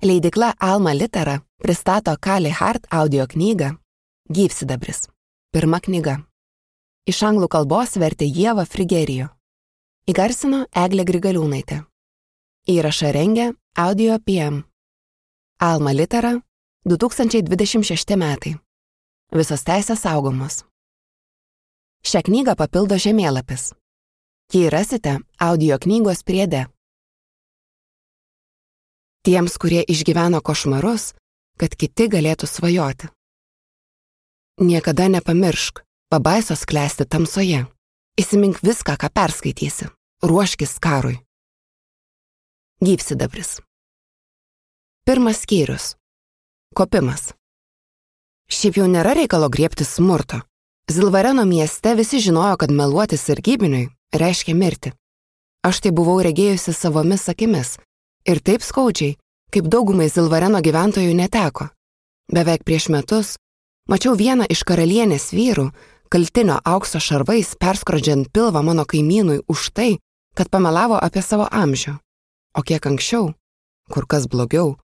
Leidykla Alma Litera pristato Kali Hart audio knygą Gyvsidabris. Pirma knyga. Iš anglų kalbos vertė Ieva Frigerijo. Įgarsino Eglė Grigaliūnaitė. Įrašą rengė Audio PM. Alma Litera, 2026 metai. Visos teisės saugomos. Šią knygą papildo žemėlapis. Jį rasite audio knygos priede. Tiems, kurie išgyveno košmarus, kad kiti galėtų svajoti. Niekada nepamiršk, pabaisos klesti tamsoje. Įsimink viską, ką perskaitysi. Ruoškis karui. Gyvsidabris. Pirmas skyrius. Kopimas. Šiaip jau nėra reikalo griebtis smurto. Zilvareno mieste visi žinojo, kad meluoti sargybiniui reiškia mirti. Aš tai buvau regėjusi savomis akimis. Ir taip skaudžiai, kaip daugumai Zilvareno gyventojų neteko. Beveik prieš metus mačiau vieną iš karalienės vyrų, kaltinio aukso šarvais perskrodžiant pilvą mano kaimynui už tai, kad pamelavo apie savo amžių. O kiek anksčiau, kur kas blogiau,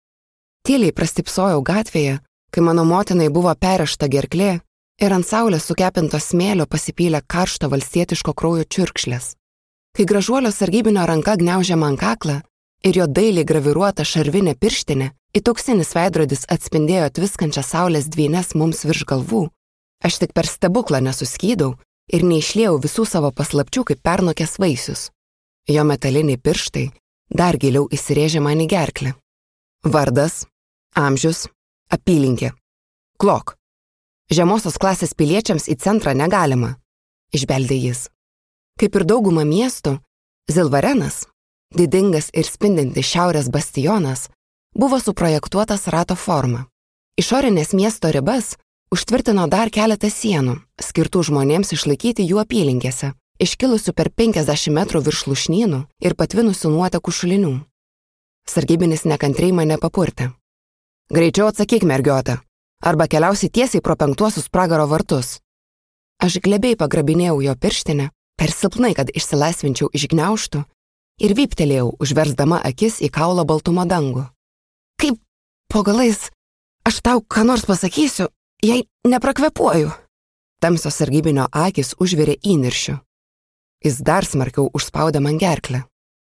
tyliai prastipsojau gatvėje, kai mano motinai buvo perrėžta gerklė ir ant saulės sukepinto smėlio pasipylė karšto valstietiško kraujo čiurkšlės. Kai gražuolio sargybinio ranka gniaužė man kaklą, ir jo dailiai graviruota šarvinė pirštinė, įtoksinis veidrodis atspindėjo tviskančią saulės dvynes mums virš galvų, aš tik per stebuklą nesuskydau ir neišliejau visų savo paslapčių kaip pernokęs vaisius. Jo metaliniai pirštai dar giliau įsirėžė man į gerklę. Vardas, amžius, apylinkė. Klok. Žemosios klasės piliečiams į centrą negalima, išbeldė jis. Kaip ir dauguma miestų, Zilvarenas, didingas ir spindintis šiaurės bastionas, buvo suprojektuotas rato forma. Išorinės miesto ribas užtvirtino dar keletą sienų, skirtų žmonėms išlaikyti jų apylinkėse, iškilusių per 50 metrų virš lūšnynų ir patvinusių nuotekų šulinių. Sargybinis nekantriai mane papurtė. Greičiau atsakyk, mergiota, arba keliausi tiesiai pro 5 pragaro vartus. Aš glebiai pagrabinėjau jo pirštinę, per silpnai, kad išsilaisvinčiau iš gniaužtų, ir vyptelėjau, užversdama akis į kaulo baltumo dangų. Kaip po galais aš tau ką nors pasakysiu, jei neprakvepuoju. Tamsios sargybinio akis užvirė įniršiu. Jis dar smarkiau užspaudė man gerklę.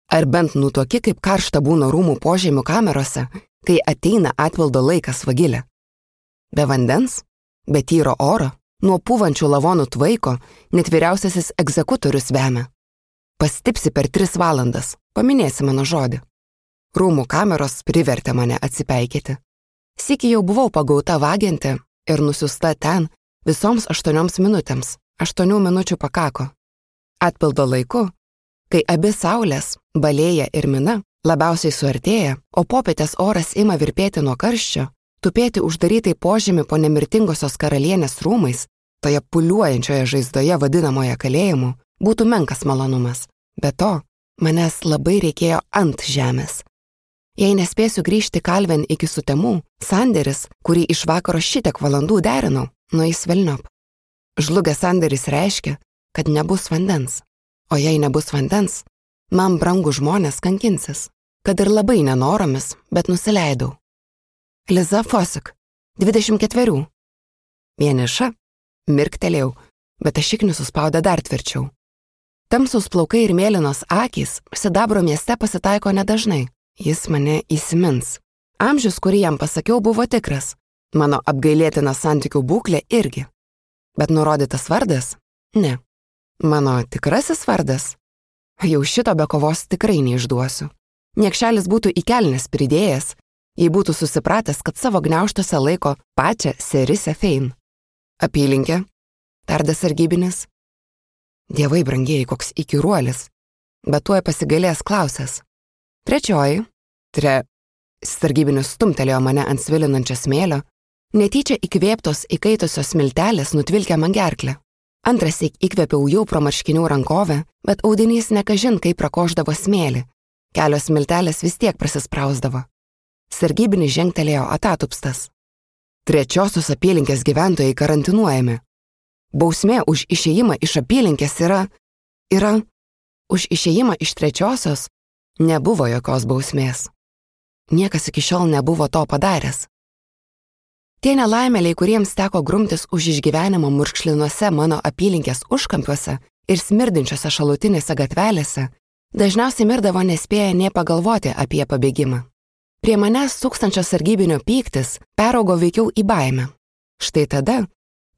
Ar bent nutuoki, kaip karšta būna rūmų požemių kamerose, kai ateina atpildo laikas vagilė. Be vandens, be tyro oro, nuo pūvančių lavonų tvaiko, net vyriausiasis egzekutorius vemia. Pastipsi per 3 valandas, paminėsi mano žodį. Rūmų kameros privertė mane atsipeikėti. Sykį jau buvau pagauta vagianti ir nusiusta ten visoms 8 minutėms. 8 minučių pakako. Atpildo laiku, kai abi saulės, Balėja ir Mina, labiausiai suartėja, o popietės oras ima virpėti nuo karščio, tupėti uždarytai požemį po nemirtingosios karalienės rūmais, toje puliuojančioje žaizdoje vadinamoje kalėjimu, būtų menkas malonumas. Be to, manęs labai reikėjo ant žemės. Jei nespėsiu grįžti kalven iki sutemų, sandėris, kurį iš vakaro šitiek valandų derinau, nueis velniop. Žlugęs sandėris reiškia, kad nebus vandens. O jei nebus vandens, man brangų žmonės kankinsis, kad ir labai nenoromis, bet nusileidau. Liza Fosik, 24. Vieniša, mirktelėjau, bet ašiknius suspaudė dar tvirčiau. Tamsus plaukai ir mėlynos akys sidabro mieste pasitaiko nedažnai. Jis mane įsimins. Amžius, kurį jam pasakiau, buvo tikras. Mano apgailėtina santykių būklė irgi. Bet nurodytas vardas? Ne. Mano tikrasis vardas? Jau šito be kovos tikrai neišduosiu. Niekšelis būtų į kelnes pridėjęs, jei būtų susipratęs, kad savo gniaužtuose laiko pačią Serisę Fein. Apylinkė? Tardė sargybinis. Dievai brangieji, koks įkyruolis, bet tuoj pasigailės klausęs. 3. Sargybinis stumtelėjo mane ant svilinančio smėlio, netyčia įkvėptos įkaitusios smiltelės nutvilkė man gerklę. Antrąsyk įkvėpiau jau pro marškinių rankovę, bet audinys nekažin kaip prakoždavo smėlį. Kelios smiltelės vis tiek prasisprausdavo. Sargybinis žengtelėjo atatupstas. 3 apylinkės gyventojai karantinuojami. Bausmė už išėjimą iš apylinkės yra... Už išėjimą iš 3 nebuvo jokios bausmės. niekas iki šiol nebuvo to padaręs. Tie nelaimėliai, kuriems teko grumtis už išgyvenimą murkšlinuose mano apylinkės užkampiuose ir smirdinčiose šalutinėse gatvelėse, dažniausiai mirdavo nespėję nė pagalvoti apie pabėgimą. Prie manęs tūkstančio sargybinio pyktis peraugo veikiau į baimę. Štai tada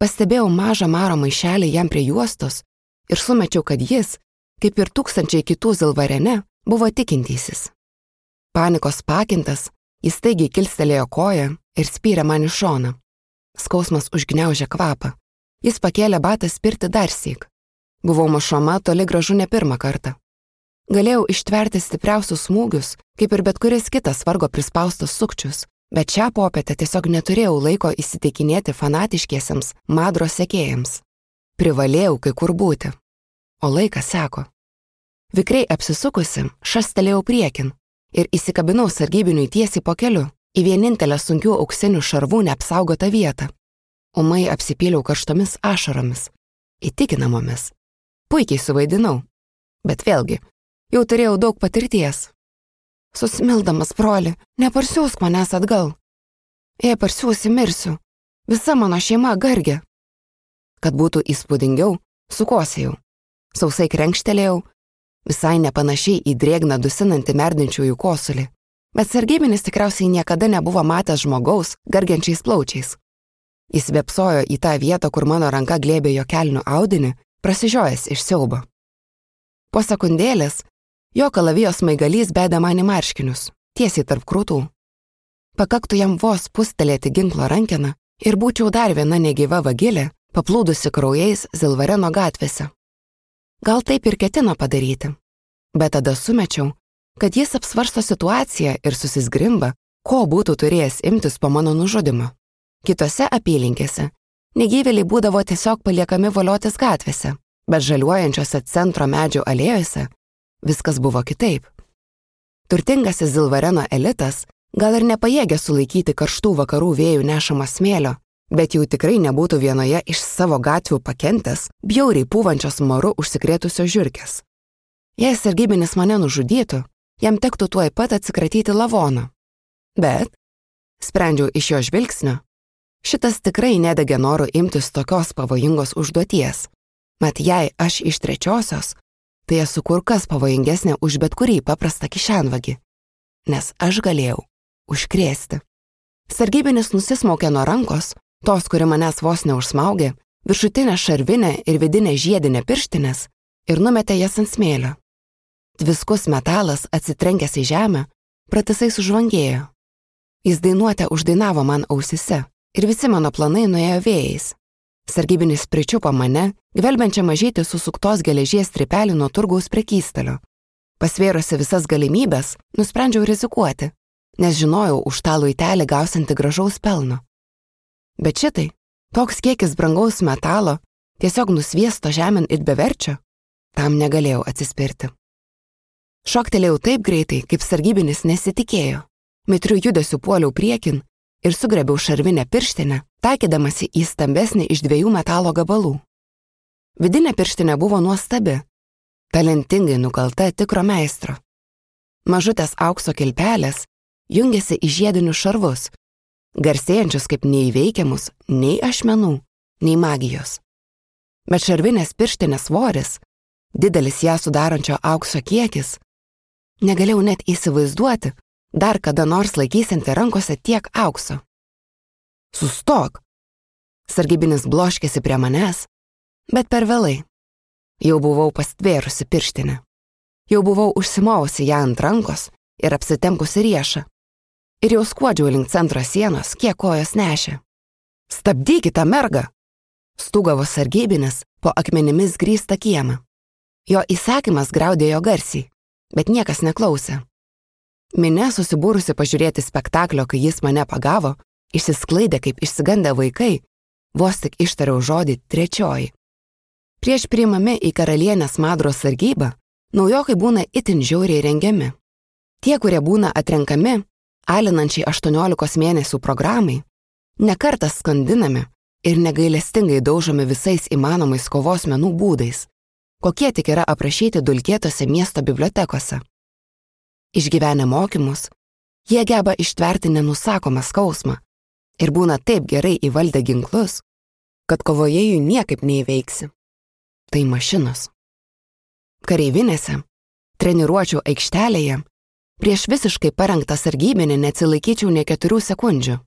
pastebėjau mažą maro maišelį jam prie juostos ir sumečiau, kad jis, kaip ir tūkstančiai kitų Zilvarene, buvo tikintysis. Panikos pakintas, jis staigiai kilstelėjo koją ir spyrė man į šoną. Skausmas užgniaužė kvapą. Jis pakėlė batą spirti darsyk. Buvau mušama toli gražu ne pirmą kartą. Galėjau ištverti stipriausius smūgius, kaip ir bet kuris kitas vargo prispaustas sukčius, bet šią popietę tiesiog neturėjau laiko įsitikinėti fanatiškiesiems Madro sekėjams. Privalėjau kai kur būti. O laikas seko. Vikriai apsisukusi, šastelėjau priekin ir įsikabinau sargybiniui tiesiai po keliu į vienintelę sunkių auksinių šarvų neapsaugotą vietą. Ūmai apsipyliau karštomis ašaromis, įtikinamomis. Puikiai suvaidinau, bet vėlgi, jau turėjau daug patirties. Susimildamas, broli, neparsiųsk manęs atgal. Jei parsiųsi, mirsiu. Visa mano šeima gargia. Kad būtų įspūdingiau, sukosėjau. Sausai krenkštelėjau, visai nepanašiai į drėgną dusinantį merdinčiųjų kosulį. Bet sargybinis tikriausiai niekada nebuvo matęs žmogaus gargiančiais plaučiais. Jis vėpsojo į tą vietą, kur mano ranka glėbė jo kelnių audinį, prasižiojęs iš siaubo. Po sekundėlės jo kalavijos smaigalys bedė man į marškinius, tiesiai tarp krūtų. Pakaktų jam vos pustelėti ginklo rankeną ir būčiau dar viena negyva vagilė, paplūdusi kraujais Zilvareno gatvėse. Gal taip ir ketino padaryti, bet tada sumečiau, kad jis apsvarsto situaciją ir susizgrimba, ko būtų turėjęs imtis po mano nužudymo. Kitose apylinkėse negyvėliai būdavo tiesiog paliekami voliotis gatvėse, bet žaliuojančiose centro medžių alėjose viskas buvo kitaip. Turtingasis Zilvareno elitas gal ir nepajėgė sulaikyti karštų vakarų vėjų nešamo smėlio, bet jau tikrai nebūtų vienoje iš savo gatvių pakentęs bjauriai pūvančios maru užsikrėtusios žiurkės. Jei sargybinis mane nužudytų, jam tektų tuoj pat atsikratyti lavono. Bet, sprendžiau iš jo žvilgsnio, šitas tikrai nedegė noru imtis tokios pavojingos užduoties. Mat jei aš iš trečiosios, tai esu kur kas pavojingesnė už bet kurį paprastą kišenvagį, nes aš galėjau užkrėsti. Sargybinis nusismaukė nuo rankos, tos, kuri manęs vos neužsmaugė, viršutinę šarvinę ir vidinę žiedinę pirštinės ir numetė jas ant smėlio. Tviskus metalas atsitrenkęs į žemę, pratisai sužvangėjo. Jis dainuotę uždainavo man ausise ir visi mano planai nuėjo vėjais. Sargybinis pričiupo mane, gvelbiančią mažytį susuktos geležies strypelį nuo turgaus prekystalio. Pasvėrusi visas galimybės, nusprendžiau rizikuoti, nes žinojau už tą luitelį gausianti gražaus pelno. Bet šitai, toks kiekis brangaus metalo, tiesiog nusviesto žemėn ir beverčio, tam negalėjau atsispirti. Šoktelėjau taip greitai, kaip sargybinis nesitikėjo. Mitriu judesiu puoliau priekin ir sugrebiau šarvinę pirštinę, taikydamasi į stambesnį iš 2 metalo gabalų. Vidinė pirštinė buvo nuostabi, talentingai nukalta tikro meistro. Mažutės aukso kilpelės jungėsi į žiedinius šarvus, garsėjančius kaip neįveikiamus nei ašmenų, nei magijos. Bet šarvinės pirštinės svoris, didelis ją sudarančio aukso kiekis, negalėjau net įsivaizduoti, dar kada nors laikysianti rankose tiek aukso. Sustok! Sargybinis bloškėsi prie manęs, bet per vėlai. Jau buvau pastvėrusi pirštinę. Jau buvau užsimovusi ją ant rankos ir apsitempusi riešą. Ir jau skuodžiau link centro sienos, kiek kojos nešė. Stabdykite, mergą! Stūgavo sargybinis po akmenimis grįstą kiemą. Jo įsakymas graudėjo garsiai, bet niekas neklausė. Minia susibūrusi pažiūrėti spektaklio, kai jis mane pagavo, išsisklaidė kaip išsigandę vaikai, vos tik ištariau žodį trečioji. Prieš priimami į karalienės Madros sargybą, naujokai būna itin žiauriai rengiami. Tie, kurie būna atrenkami, alinančiai 18 mėnesių programai, nekartą skandinami ir negailestingai daužomi visais įmanomais kovos menų būdais, kokie tik yra aprašyti dulkėtose miesto bibliotekose. Išgyvenę mokymus, Jie geba ištverti nenusakomą skausmą ir būna taip gerai įvaldę ginklus, kad kovoje jų niekaip neįveiksi. Tai mašinos. Kareivinėse, treniruočių aikštelėje, prieš visiškai parengtą sargybinį neatsilaikyčiau ne 4 sekundžių.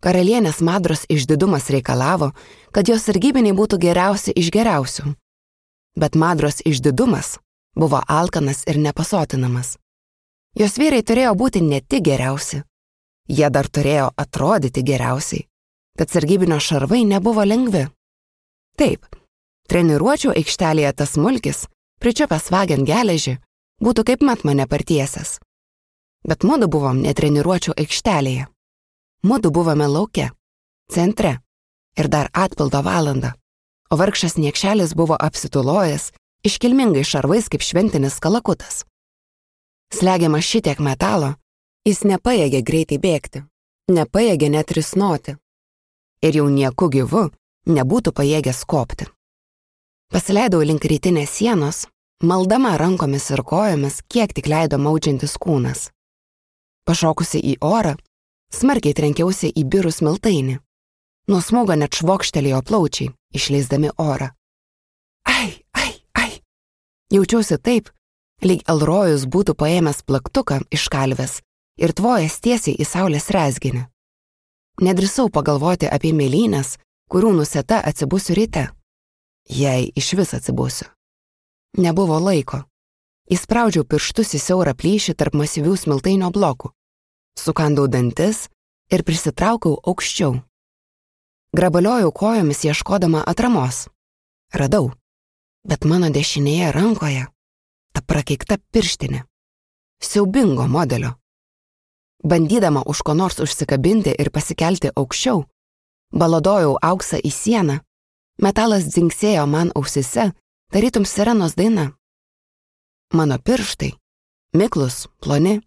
Karalienės Madros išdidumas reikalavo, kad jos sargybiniai būtų geriausi iš geriausių. Bet Madros išdidumas buvo alkanas ir nepasotinamas. Jos vyrai turėjo būti ne tik geriausi, jie dar turėjo atrodyti geriausiai, tad sargybinio šarvai nebuvo lengvi. Taip, treniruočių aikštelėje tas smulkis, pričiupęs vagiant geležį, būtų kaip mat mane partiesęs. Bet mudu buvom ne treniruočių aikštelėje. Mudu buvome lauke, centre ir dar atpildo valandą, o vargšas niekšelis buvo apsitulojęs iškilmingai šarvais kaip šventinis kalakutas. Slegiamas šitiek metalo, jis nepajėgė greitai bėgti, nepajėgė net risnoti ir jau nieku gyvu nebūtų pajėgęs kopti. Pasileidau link rytinės sienos, maldama rankomis ir kojomis, kiek tik leido maudžiantis kūnas. Pašokusi į orą, smarkiai trenkiausi į birų smiltainį. Nuo smūgo net švokštelėjo plaučiai, išleisdami orą. Ai, ai, ai. Jaučiausi taip, lyg Elrojus būtų paėmęs plaktuką iš kalvės ir tvojęs tiesiai į saulės rezginį. Nedrįsau pagalvoti apie mėlynes, kurių nusėta atsibusiu ryte. Jei iš vis atsibusiu. Nebuvo laiko. Įspraudžiau pirštus į siaurą plyšį tarp masyvių smiltainio blokų. Sukandau dantis ir prisitraukiau aukščiau. Grabaliojau kojomis ieškodama atramos. Radau, bet mano dešinėje rankoje ta prakeikta pirštinė. Siaubingo modelio. Bandydama už ko nors užsikabinti ir pasikelti aukščiau, baladojau auksą į sieną, metalas dzingsėjo man ausise, tarytum sirenos daina. Mano pirštai, miklus, ploni,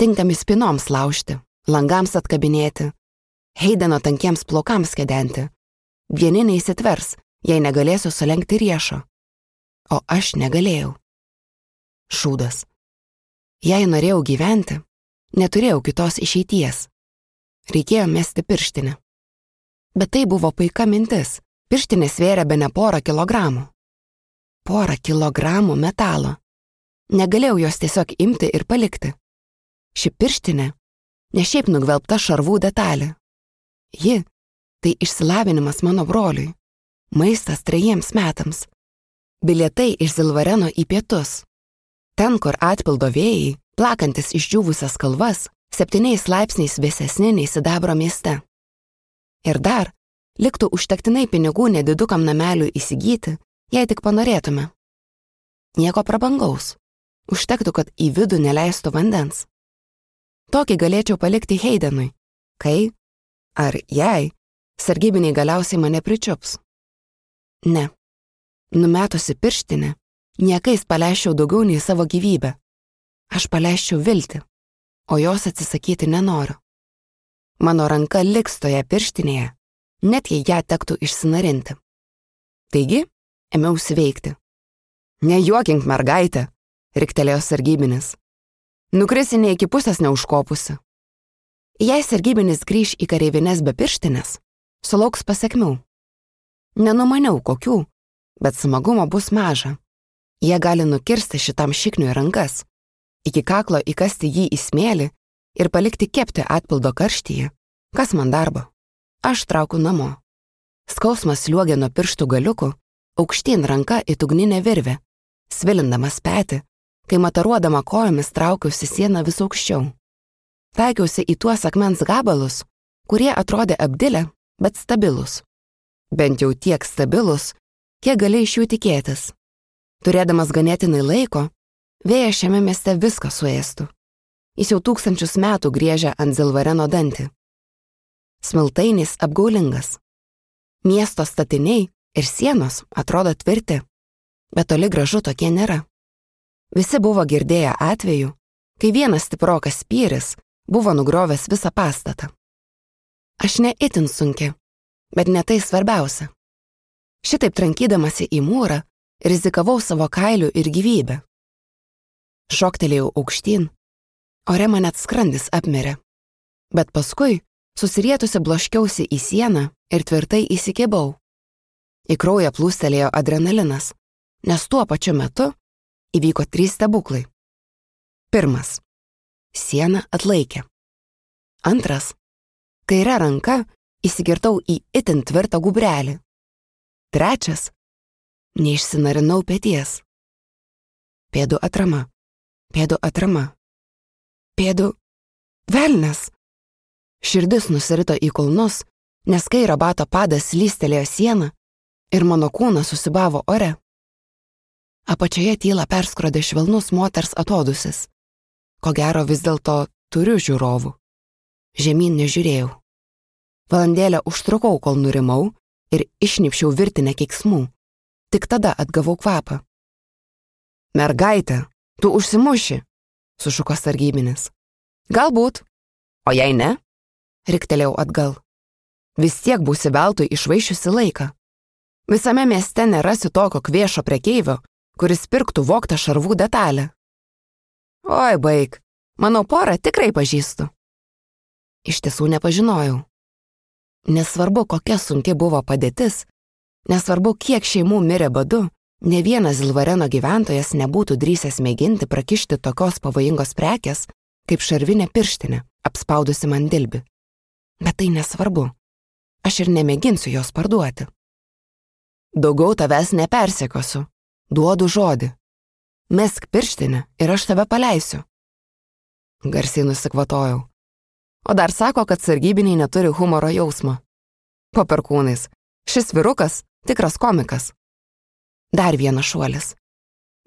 tinkami spinoms laužti, langams atkabinėti, Heideno tankiems plaukams kedenti. Vieni neįsitvers, jei negalėsiu sulenkti riešo. O aš negalėjau. Šūdas. Jei norėjau gyventi, neturėjau kitos išeities. Reikėjo mesti pirštinę. Bet tai buvo paika mintis. Pirštinė svėrė bene 1 kilogramų. 1 kilogramų metalo. Negalėjau jos tiesiog imti ir palikti. Ši pirštinė ne šiaip nugvelbta šarvų detalė. Ji – tai išsilavinimas mano broliui, maistas 3 metams, bilietai iš Zilvareno į pietus, ten, kur atpildo vėjai, plakantis išdžiūvusias kalvas, 7 laipsniais vėsesni nei sidabro mieste. Ir dar liktų užtektinai pinigų nedidukam nameliui įsigyti, jei tik panorėtume. Nieko prabangaus. Užtektų, kad į vidų neleistų vandens. Tokį galėčiau palikti Heidenui, kai, ar jei, sargybiniai galiausiai mane pričiups. Ne. Numetusi pirštinę, niekais paleisčiau daugiau nei savo gyvybę. Aš paleisčiau viltį, o jos atsisakyti nenoriu. Mano ranka liks toje pirštinėje, net jei ją tektų išsinarinti. Taigi, ėmiausi veikti. Nejuokink, mergaitė, riktelėjo sargybinis. Nukrisi ne iki pusės neužkopusi. Jei sargybinis grįš į kareivines be pirštinės, sulauks pasekmių. Nenumaniau kokių, bet smagumo bus maža. Jie gali nukirsti šitam šikniui rankas, iki kaklo įkasti jį į smėlį ir palikti kepti atpildo karštyje. Kas man darbo? Aš traukiu namo. Skausmas sliuogė nuo pirštų galiukų, aukštyn ranka į ugninę virvę, svilindamas petį, kai mataruodama kojomis traukiausi sieną vis aukščiau. Taikiausi į tuos akmens gabalus, kurie atrodė apdilę, bet stabilus. Bent jau tiek stabilus, kiek gali iš jų tikėtis. Turėdamas ganėtinai laiko, vėjas šiame mieste viską suėstų. Jis jau 1000 metų griežia ant Zilvareno dantį. Smiltainis apgaulingas. Miesto statiniai ir sienos atrodo tvirti, bet toli gražu tokie nėra. Visi buvo girdėję atveju, kai vienas stiprokas spyris buvo nugriovęs visą pastatą. Aš ne itin sunki, bet ne tai svarbiausia. Šitaip trankydamasi į mūrą, rizikavau savo kailiu ir gyvybę. Šoktelėjau aukštyn, Ore man net skrandis apmirė. Bet paskui susirietusi bloškiausi į sieną ir tvirtai įsikibau. Į kraują plūstelėjo adrenalinas, nes tuo pačiu metu įvyko 3 stebuklai. 1. Siena atlaikė. 2. Kaire ranka įsikirtau į itin tvirtą gubrelį. 3. Neišsinarinau peties. Pėdų atrama. Pėdų atrama. Pėdų... Velnias! Širdis nusirito į kulnus, nes kairo bato padas slystelėjo sieną ir mano kūnas susibavo ore. Apačioje tylą perskrodė švelnus moters atodusis. Ko gero vis dėlto turiu žiūrovų. Žemyn nežiūrėjau. Valandėlę užtrukau, kol nurimau ir išnipščiau virtinę keiksmų. Tik tada atgavau kvapą. Mergaitė, tu užsimuši, sušuko sargybinis. Galbūt, o jei ne, riktelėjau atgal. Vis tiek būsi veltui išvaišiusi laiką. Visame mieste nerasi tokio kviešo prekeivio, kuris pirktų vogtą šarvų detalę. Oi, baik, mano porą tikrai pažįstu. Iš tiesų nepažinojau. Nesvarbu, kokia sunki buvo padėtis, nesvarbu, kiek šeimų mirė badu, ne vienas Zilvareno gyventojas nebūtų drįsęs mėginti prakišti tokios pavojingos prekės, kaip šarvinė pirštinė, apspaudusi man dilbį. Bet tai nesvarbu. Aš ir nemėginsiu jos parduoti. Daugiau tavęs nepersekiosiu. Duodu žodį. Mesk pirštinę ir aš tave paleisiu. Garsiai nusikvatojau. O dar sako, kad sargybiniai neturi humoro jausmo. Po perkūnais. Šis vyrukas tikras komikas. Dar vienas šuolis.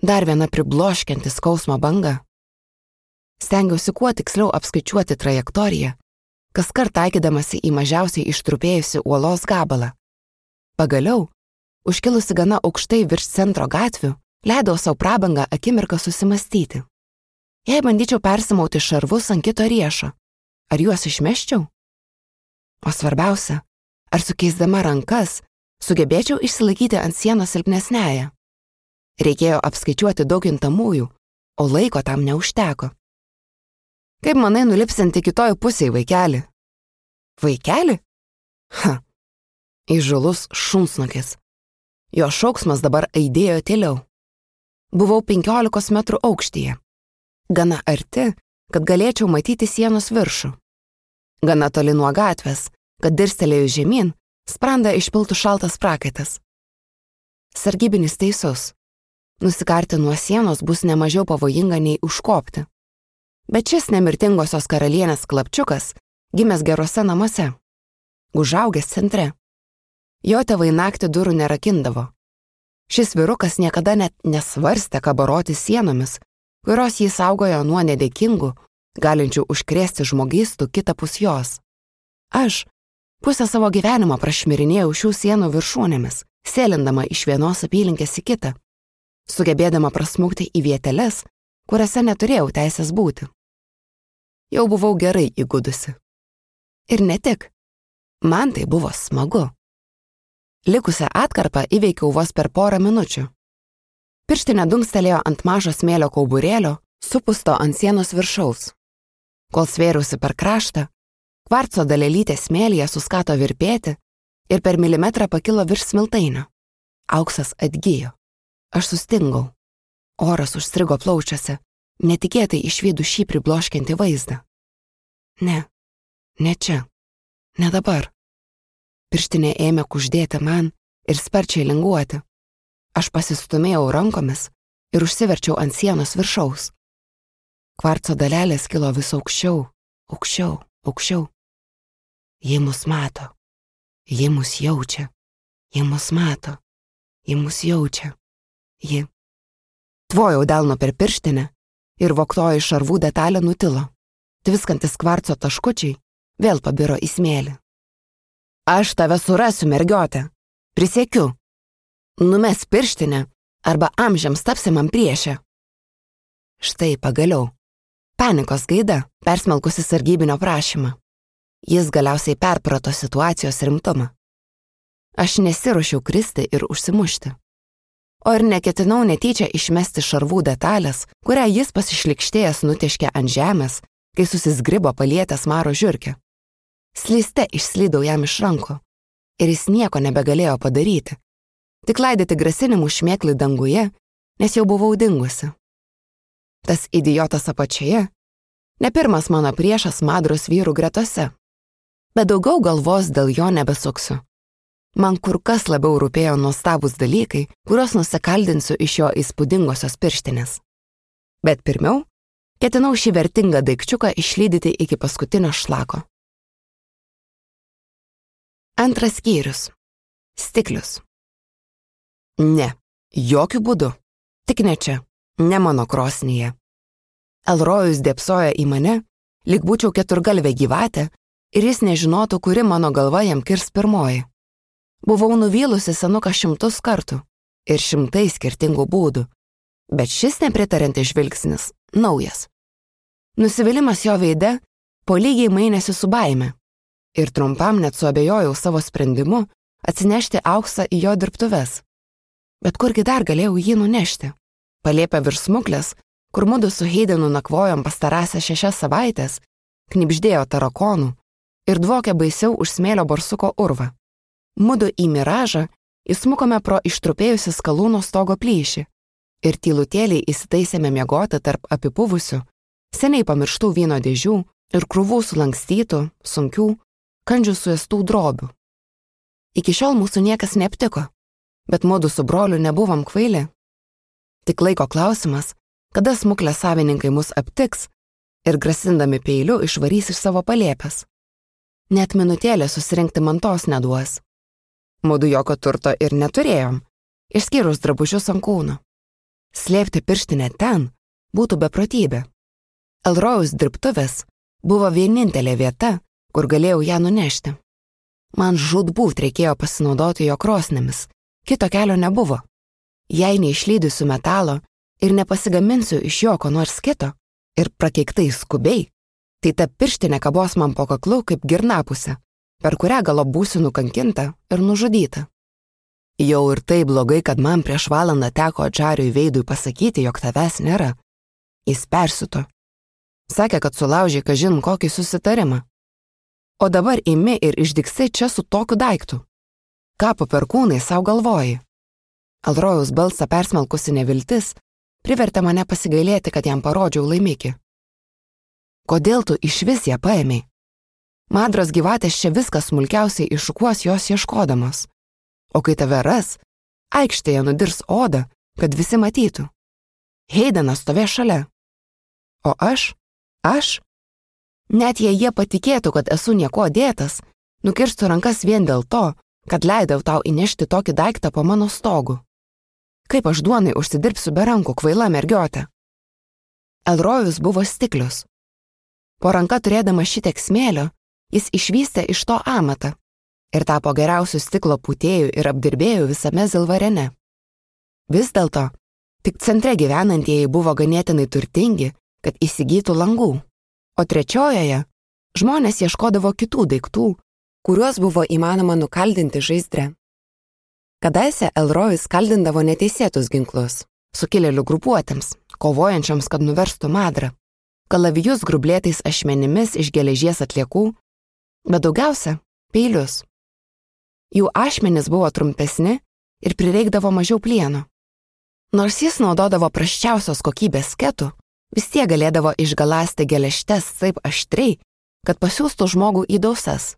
Dar viena pribloškianti skausmo banga. Stengiausi kuo tiksliau apskaičiuoti trajektoriją, kaskart taikydamasi į mažiausiai ištrupėjusi uolos gabalą. Pagaliau, užkilusi gana aukštai virš centro gatvių, leidau savo prabangą akimirką susimastyti. Jei bandyčiau persimauti šarvus ant kito riešo, ar juos išmeščiau? O svarbiausia, ar sukeisdama rankas sugebėčiau išsilaikyti ant sienos silpnesnėje? Reikėjo apskaičiuoti daug kintamųjų, o laiko tam neužteko. Kaip manai nulipsinti kitoj pusėj, vaikeli? Vaikeli? Ha, įžūlus šunsnukis. Jo šauksmas dabar aidėjo tyliau. Buvau 15 metrų aukštyje. Gana arti, kad galėčiau matyti sienos viršų. Gana toli nuo gatvės, kad dirstelėjus žemyn, sprandą išpiltų šaltas prakaitas. Sargybinis teisus. Nusikarti nuo sienos bus nemažiau pavojinga nei užkopti. Bet šis nemirtingosios karalienės klapčiukas gimęs geruose namuose, užaugęs centre. Jo tėvai naktį durų nerakindavo. Šis vyrukas niekada net nesvarstė kabaroti sienomis, kurios jį saugojo nuo nedėkingų, galinčių užkrėsti žmogystų kitapus jos. Aš pusę savo gyvenimo prašmirinėjau šių sienų viršūnėmis, sėlindama iš vienos apylinkės į kitą, sugebėdama prasmukti į vieteles, kuriuose neturėjau teisės būti. Jau buvau gerai įgudusi. Ir ne tik. Man tai buvo smagu. Likusią atkarpą įveikiau vos per porą minučių. Pirštinė dunkstelėjo ant mažo smėlio kauburėlio, supusto ant sienos viršaus. Kol svėriausi per kraštą, kvarco dalelytė smėlyje suskato virpėti ir per milimetrą pakilo virš smiltainio. Auksas atgijo. Aš sustingau. Oras užstrigo plaučiuose, netikėtai išvydu šį pribloškiantį vaizdą. Ne čia, ne dabar. Pirštinė ėmė kuždėti man ir sparčiai linguoti. Aš pasistumėjau rankomis ir užsiverčiau ant sienos viršaus. Kvarco dalelės kilo vis aukščiau, aukščiau, aukščiau. Ji mus mato, ji mus jaučia, ji mus mato, ji mus jaučia, ji. Tvojau delno per pirštinę ir vogtoji šarvų detalė nutilo. Tviskantis kvarco taškučiai vėl pabiro į smėlį. Aš tave surasiu, mergiotė. Prisiekiu. Numes pirštinę arba amžiams tapsi man priešė. Štai pagaliau. Panikos gaida persmelkusi sargybinio prašymą. Jis galiausiai perprato situacijos rimtumą. Aš nesiruošiau kristi ir užsimušti. O ir neketinau netyčia išmesti šarvų detalės, kurią jis pasišlikštėjęs nutiškė ant žemės kai susizgribo palietęs Maro žiurkę. Slyste išslydau jam iš rankų ir jis nieko nebegalėjo padaryti, tik laidyti grasinimų šmėklį danguje, nes jau buvau dingusi. Tas idiotas apačioje ne pirmas mano priešas Madros vyrų gretose, bet daugiau galvos dėl jo nebesuksiu. Man kur kas labiau rūpėjo nuostabūs dalykai, kuriuos nusikaldinsiu iš jo įspūdingosios pirštinės. Bet pirmiau, ketinau šį vertingą daikčiuką išlydyti iki paskutinio šlako. Antras skyrius. Stiklius. Ne, jokių būdų. Tik ne čia, ne mano krosnyje. Elrojus dėpsojo į mane, lyg būčiau keturgalvė gyvatė, ir jis nežinotų, kuri mano galva jam kirs pirmoji. Buvau nuvylusi senuką 100 kartų ir 100 skirtingų būdų, bet šis nepritarantis žvilgsnis naujas. Nusivylimas jo veide po lygiai mainėsi su baime ir trumpam net suabejojau savo sprendimu atsinešti auksą į jo dirbtuves. Bet kurgi dar galėjau jį nunešti? Palėpę virš smuklės, kur mudu su Heidenu nakvojom pastarąsias 6 savaitės, knibždėjo tarakonų ir dvokė baisiau už smėlio barsuko urvą. Mudu į miražą įsmukome pro ištrupėjusi skalūno stogo plyšį ir tylutėliai įsitaisėme miegoti tarp apipuvusių, seniai pamirštų vyno dėžių ir krūvų sulankstytų, sunkių, kandžių suėstų drobių. Iki šiol mūsų niekas neaptiko, bet mudu su broliu nebuvom kvaili. Tik laiko klausimas, kada smuklės savininkai mus aptiks ir grasindami peiliu išvarys iš savo palėpės. Net minutėlė susirinkti mantos neduos. Mudu jokio turto ir neturėjom, išskyrus drabužius ant kūno. Slėpti pirštinę ten būtų beprotybė. Elrojaus dirbtuvės buvo vienintelė vieta, kur galėjau ją nunešti. Man žūtbūt reikėjo pasinaudoti jo krosnėmis, kito kelio nebuvo. Jei neišlydysiu metalo ir nepasigaminsiu iš jo ko nors kito ir prakeiktai skubiai, tai ta pirštinė kabos man po kaklu kaip girnapusė, per kurią galop būsiu nukankinta ir nužudyta. Jau ir tai blogai, kad man prieš valandą teko Džariui Veidui pasakyti, jog tavęs nėra. Jis persiuto. Sakė, kad sulaužė kažin kokį susitarimą. O dabar imi ir išdyksai čia su tokiu daiktu. Ką po perkūnai savo galvoji? Elrojaus balsą persmelkusi neviltis privertė mane pasigailėti, kad jam parodžiau laimikį. Kodėl tu išvis ją paėmei? Madros gyvatės čia viskas smulkiausiai iššukuos jos ieškodamos. O kai tave ras, aikštėje nudirs odą, kad visi matytų. Heidenas stovė šalia. O aš? Net jei jie patikėtų, kad esu nieko dėtas, nukirstų rankas vien dėl to, kad leidau tau įnešti tokį daiktą po mano stogu. Kaip aš duonai užsidirbsiu be rankų, kvaila mergiotė? Elrojus buvo stiklius. Po ranka turėdama šitiek smėlio, jis išvystė iš to amatą ir tapo geriausių stiklo pūtėjų ir apdirbėjų visame Zilvarene. Vis dėlto, tik centre gyvenantieji buvo ganėtinai turtingi, kad įsigytų langų, o trečiojoje žmonės ieškodavo kitų daiktų, kuriuos buvo įmanoma nukaldinti žaizdre. Kadaise Elrojus kaldindavo neteisėtus ginklus, sukilėlių grupuotėms, kovojančioms, kad nuverstų Madrą, kalavijus grublėtais ašmenimis iš geležies atliekų, bet daugiausia peilius. Jų ašmenys buvo trumpesni ir prireikdavo mažiau plieno. Nors jis naudodavo prasčiausios kokybės sketų, vis tiek galėdavo išgaląsti geležtes taip aštriai, kad pasiųstų žmogų į dausas.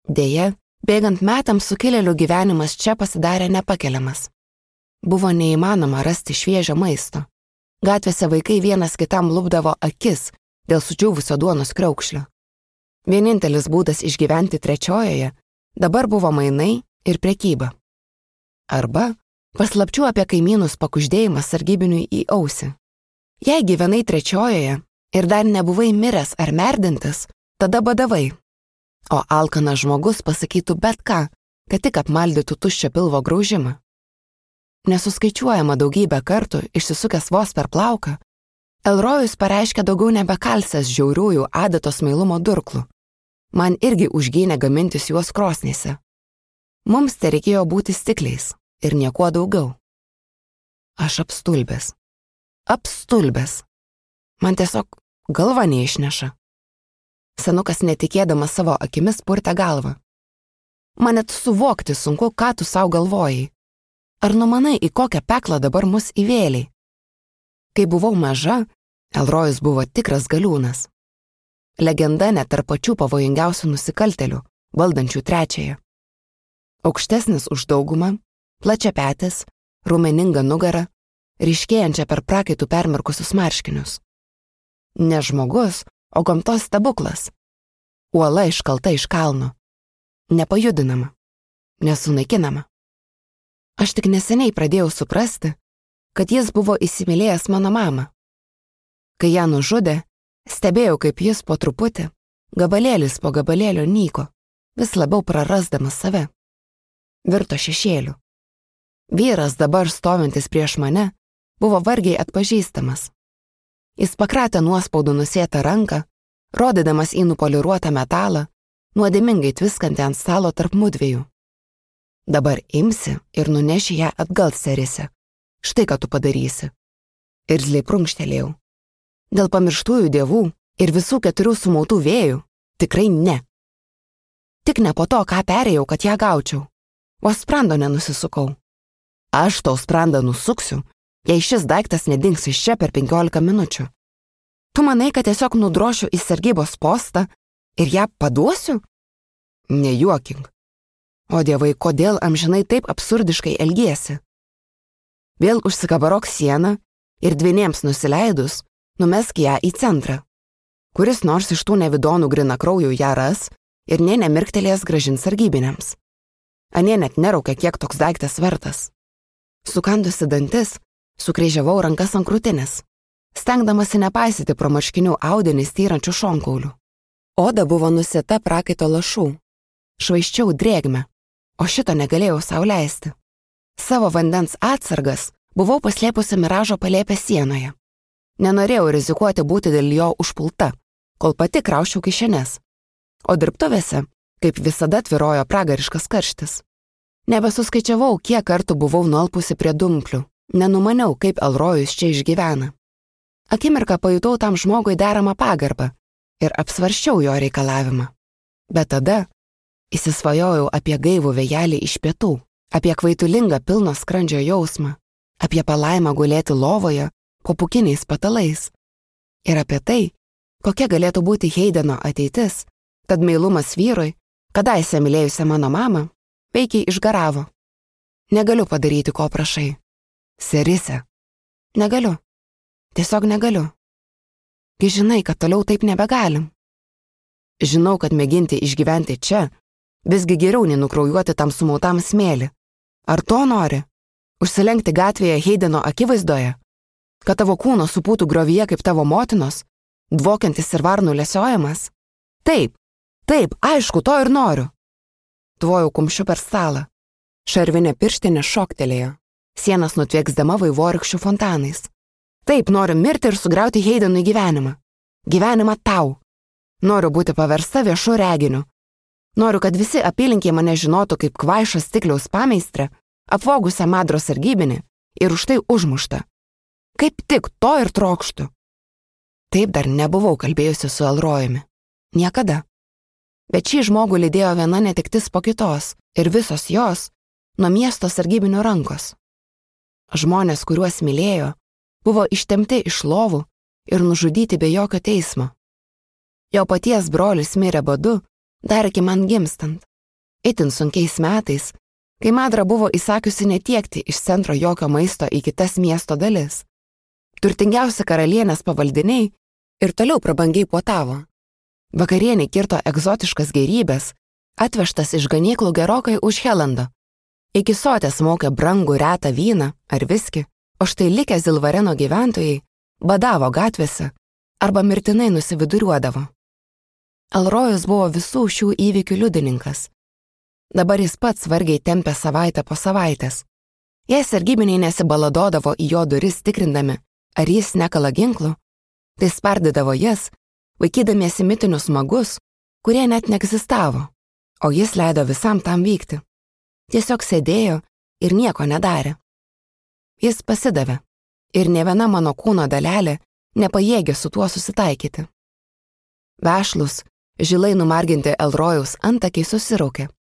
Deja, bėgant metams sukilėlių gyvenimas čia pasidarė nepakeliamas. Buvo neįmanoma rasti šviežio maisto. Gatvėse vaikai vienas kitam lupdavo akis dėl sudžiūvusio duonos kriaukšlio. Vienintelis būdas išgyventi trečiojoje dabar buvo mainai ir prekyba. Arba paslapčių apie kaimynus pakuždėjimas sargybiniui į ausį. Jei gyvenai trečiojoje ir dar nebuvai miręs ar merdintis, tada badavai. O alkanas žmogus pasakytų bet ką, kad tik apmaldytų tuščio pilvo graužimą. Nesuskaičiuojama daugybę kartų, išsisukęs vos per plauką, Elrojus pareiškė daugiau nebekalsęs žiauriųjų adatos meilumo durklų. Man irgi užgynė gamintis juos krosnyse. Mums tai reikėjo būti stikliais ir niekuo daugiau. Aš apstulbęs. Man tiesiog galva neišneša. Senukas netikėdamas savo akimis purtė galvą. Man net suvokti sunku, ką tu sau galvojai. Ar numanai, į kokią peklą dabar mus įvėliai? Kai buvau maža, Elrojus buvo tikras galiūnas. Legenda net tarp pačių pavojingiausių nusikaltelių, valdančių trečiąją. Aukštesnis už daugumą, plačiapetis, raumeninga nugara, ryškėjančia per prakaitų permirkusius marškinius. Ne žmogus, o gamtos stebuklas. Uola iškalta iš kalno. Nepajudinama. Nesunaikinama. Aš tik neseniai pradėjau suprasti, kad jis buvo įsimylėjęs mano mamą. Kai ją nužudė, stebėjau, kaip jis po truputį, gabalėlis po gabalėlio nyko, vis labiau prarasdamas save. Virto šešėliu. Vyras dabar stovintis prieš mane buvo vargiai atpažįstamas. Jis pakratė nuospaudų nusėtą ranką, rodydamas į nupoliruotą metalą, nuodėmingai tviskantį ant stalo tarp mudviejų. Dabar imsi ir nuneši ją atgal, serise. Štai ką tu padarysi. Irzliai prunkštelėjau. Dėl pamirštųjų dievų ir visų 4 sumautų vėjų tikrai ne. Tik ne po to, ką perėjau, kad ją gaučiau. Vos sprando nenusisukau. Aš tau sprandą nusuksiu, jei šis daiktas nedings iš čia per 15 minučių. Tu manai, kad tiesiog nudrošiu į sargybos postą ir ją paduosiu? Nejuokink. O dievai, kodėl amžinai taip absurdiškai elgiesi? Vėl užsikabarok sieną ir dvieniems nusileidus, numesk ją į centrą. Kuris nors iš tų nevidonų grinakraujų ją ras ir nė nemirktelės grąžins sargybiniams. Anie net neraukia, kiek toks daiktas vertas. Sukandusi dantis, sukryžiavau rankas ant krūtinės, stengdamasi nepaisyti pro marškinių audinį styrančių šonkaulių. Oda buvo nusėta prakaito lašų. Švaiščiau drėgmę, o šito negalėjau sau leisti. Savo vandens atsargas buvau paslėpusi miražo palėpę sienoje. Nenorėjau rizikuoti būti dėl jo užpulta, kol pati krauščiau kišenes. O dirbtuvėse, kaip visada, tvyrojo pragariškas karštis. Nebesuskaičiavau, kiek kartų buvau nualpusi prie dumplių. Nenumaniau, kaip Elrojus čia išgyvena. Akimirką pajutau tam žmogui deramą pagarbą ir apsvarščiau jo reikalavimą. Bet tada įsisvajojau apie gaivų vėjelį iš pietų, apie kvaitulingą pilno skrandžio jausmą, apie palaimą gulėti lovoje po pūkiniais patalais ir apie tai, kokia galėtų būti Heideno ateitis, tad meilumas vyrui, kadaise mylėjusią mano mamą, veikiai išgaravo. Negaliu padaryti, ko prašai. Serise. Negaliu. Tiesiog negaliu. Gi žinai, kad toliau taip nebegalim. Žinau, kad mėginti išgyventi čia, visgi geriau nei nukraujuoti tam sumautam smėlį. Ar to nori? Užsilenkti gatvėje Heideno akivaizdoje? Kad tavo kūno supūtų griovyje kaip tavo motinos, dvokiantis ir varnų lesiojamas? Taip, aišku, to ir noriu. Tvojau kumščiu per stalą. Šarvinė pirštinė šoktelėjo. Sienas nutvieksdama vaivorykščių fontanais. Taip, noriu mirti ir sugriauti Heidenui gyvenimą. Gyvenimą tau. Noriu būti paversta viešu reginiu. Noriu, kad visi apylinkiai mane žinotų kaip kvaišą stikliaus pameistrę, apvogusią madros sargybinį ir už tai užmuštą. Kaip tik to ir trokštu. Taip dar nebuvau kalbėjusi su Elrojumi. Niekada. Bet šį žmogų lydėjo viena netektis po kitos ir visos jos nuo miesto sargybinio rankos. Žmonės, kuriuos mylėjo, buvo ištemti iš lovų ir nužudyti be jokio teismo. Jo paties brolis mirė badu dar iki man gimstant. Itin sunkiais metais, kai Madra buvo įsakiusi netiekti iš centro jokio maisto į kitas miesto dalis. Turtingiausi karalienės pavaldiniai ir toliau prabangiai puotavo. Vakarienį kirto egzotiškas gėrybės, atvežtas iš ganyklų gerokai už Helando. Iki sotės mokė brangų retą vyną ar viskį, o štai likę Zilvareno gyventojai badavo gatvėse arba mirtinai nusividuriuodavo. Elrojus buvo visų šių įvykių liudininkas. Dabar jis pats vargiai tempė savaitę po savaitės. Jei sargybiniai nesibaladodavo į jo duris tikrindami, ar jis nekala ginklų, tai spardydavo jas, vaikydamiesi mitinius magus, kurie net neegzistavo, o jis leido visam tam vykti. Tiesiog sėdėjo ir nieko nedarė. Jis pasidavė ir nė viena mano kūno dalelė nepajėgė su tuo susitaikyti. Vešlus, Žilai numarginti Elrojaus antakiai susiraukė.